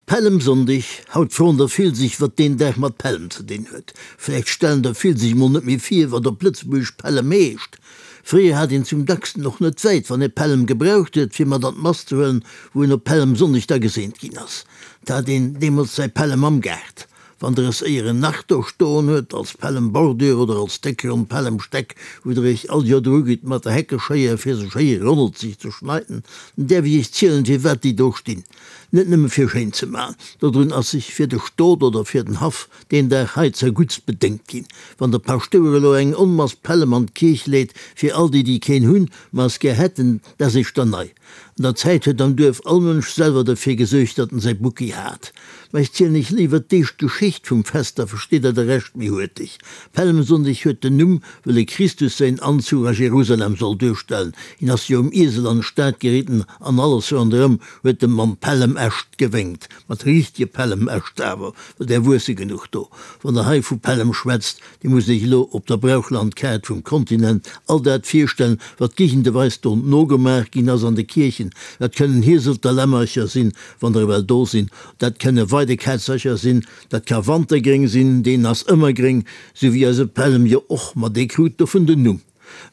Pällemsonndeg, haut froen der vill sech, wat deen Dag mat Pällem ze dinn huet. Vläicht stellen der vill sech mol net méi vir, wat op Lëtzebuergesch Pällem heescht. Fréier hat een zum dacksten och net wäit, wann ee Pällem gebraucht huet, fir mat an d'Mass ze huelen, wou een op Pällemsonndeg da geseent ginn ass. 't hat een deemools säi Pällem am Gaart. Wann der es éieren nach do stoen huet, als Pällem-Bordure oder als déck ronn Pällemstäck, wou der iech all Joer dru gitt mat der Heckeschéier fir se schéi rondelzeg ze schneiden, dann däerf ech iech zielen, firwat déi do stinn. Net nëmme fir schéin ze man, dodrun ass sech fir de Stot oder fir den Haff deen Dag hei zerguttst bedéngt ginn. Wann de Paschtouer elo eng Onmass Pällem an d'Kierch leet, fir all déi, déi keen hunn, ma es gär hätten, dat ass éischter nei. An der Zäit huet am Duerf all Mënsch selwer derfir gesuergt, datt en säi Bucki hat. Mä ech zielen iech léiwer d'éischt d'Geschicht vum Fest, da versteet der de Rescht méi huerteg. Pällemsonndeg huet den Numm, wëll e Christus säin Anzuch a Jerusalem soll duerstellen. Hien ass jo um Iesel an d'Stad geritten an alles ronderëm huet em mam Pällemäscht gewénkt. Mat richtege Pällemäscht awer, well där wuesse genuch do. Wann der hei vu Pällem schwätzt, Dir musst Iech elo op der Brauchlandkaart vum Kontinent all dat virstellen, wat géigendeweis do nogemaach ginn ass an de Kierchen. Dat kënnen Hieselter Lämmercher sinn, wann der ewell do sinn, dat kënne Weidekätzercher sinn, dat ka Wantergréng sinn, deen ass ëmmer gréng, sou wéi eise Pällem jo och, ma dee krut dovun den Numm.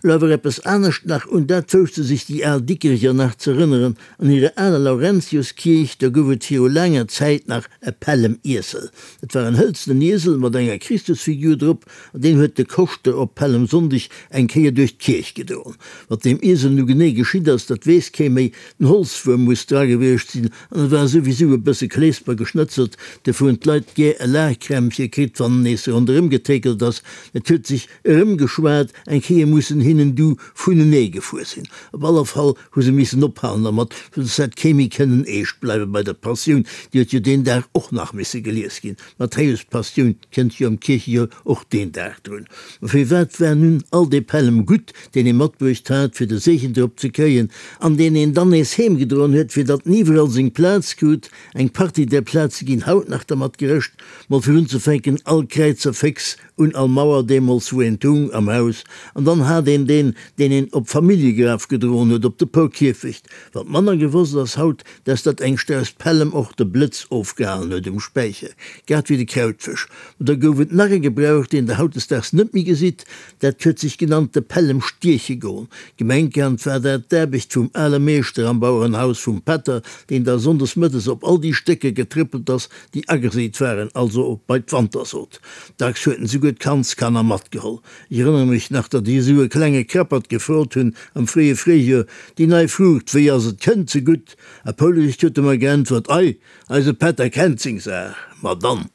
Elo awer eppes anescht nach, un dat wousste sech déi al Dikrecher nach z'erënneren, An hirer aler Laurentiuskierch, do gouf et viru laanger Zäit nach e Pällem-Iesel. Et war en hëlzenen Iesel mat enger Christusfigur drop, an deen huet de Koschter op Pällemsonndeg eng Kéier duerch d'Kierch gedroen. Wat deem Iesel nu genee geschitt ass, dat weess kee méi. Den Holzwuerm muss dra gewiescht sinn, an et war souwisou e bësse Kleesper geschnëtzelt, dofir hunn d'Leit gär e Laachkrämpche kritt, wann en nees ronderëm getéckelt ass. Et huet sech Erëmgeschwat, eng Kéier mussen hinnen du vunenee gefuer sinn. Op alle Fall hu se missen ophalen dermat, well soss hätt kee méi kënnen eescht bleiwe bei der Passioun, déi huet jo deen Dag och nach misse gelies ginn. D'Matthäus-Passioun kënnt jo am Kierchejoer och deen Dag drun. Ma firwat war nun all dee Pällem gutt, deen ee matbruecht hat, fir de Seegen drop ze kréien, an deen een dann nees heemgedroen huet, fir datt en iwwerall seng Plaz krut? Eng Partie där Plaze ginn haut nach dermat gerëscht, mol fir unzefänken, all Kräizer féx Un all Mauer deemools wou eent hung am Haus, an dann hat een deen, deen een op d'Familljegraf gedroen huet, op de Poukierfecht. Wat manner gewosst ass haut, dass dat eng Strauss Pällem och de Blëtz ofgehalen huet um Späicher, grad wéi de Krautfësch. Mä da gouf et nach e Gebrauch, deen der hautdesdaags net méi gesitt, dat huet sech genannt de Pällem stieche goen. Gemengkannt war dat d'Aarbecht vum ale Meeschter am Bauerenhaus vum Pätter, deen da sonndes mëttes op all déi Stécker getrëppelt ass, déi ageseet waren, also bei d'Wantersot. Dacks huet en souguer d'Kandskanner matgeholl. Ech erënnere mech nach, datt ech esou e klenge Krappert gefrot hunn am fréie Fréijoer, Déi nei Fruucht, wéi ass et? Kënnt se gutt? A Poulriicht huet e mer geäntwert, Ei, eise Pätter kennt seng Saach. Ma dann!